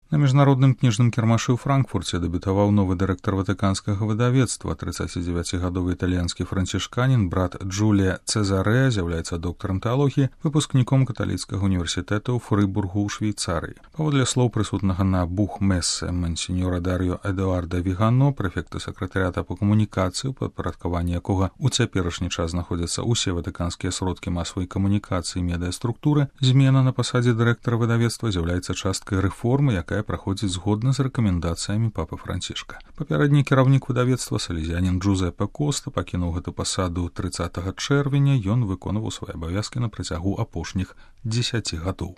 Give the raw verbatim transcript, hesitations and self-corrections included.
На міжнародным кніжным кірмашы ў Франкфурце дэбютаваў новы дырэктар ватыканскага выдавецтва, трыццацідзевяцігадовы італьянскі францішканін, брат Джулія Цезаре, з'яўляецца доктарам тэалогіі, выпускніком каталіцкага універсітэта ў Фрыбургу ў Швейцарыі. Паводле слоў прысутнага на бух-мессе мансіньора Дар'ё Эдуарда Вігано, прэфекта сакратарыята па камунікацыі, у падпарадкаванні якога ў цяперашні час знаходзяцца ўсе ватыканскія сродкі масавай камунікацыі і медыаструктуры, змена на пасадзе дырэктара выдавецтва з'яўляецца часткай рэформы, якая праходзіць згодна з рэкамендацыямі папы Францішка. Папярэдні кіраўнік выдавецтва, салезіянін Джузеппе Коста, пакінуў гэту пасаду трыццатага чэрвеня, ён выконваў свае абавязкі на працягу апошніх дзесяці гадоў.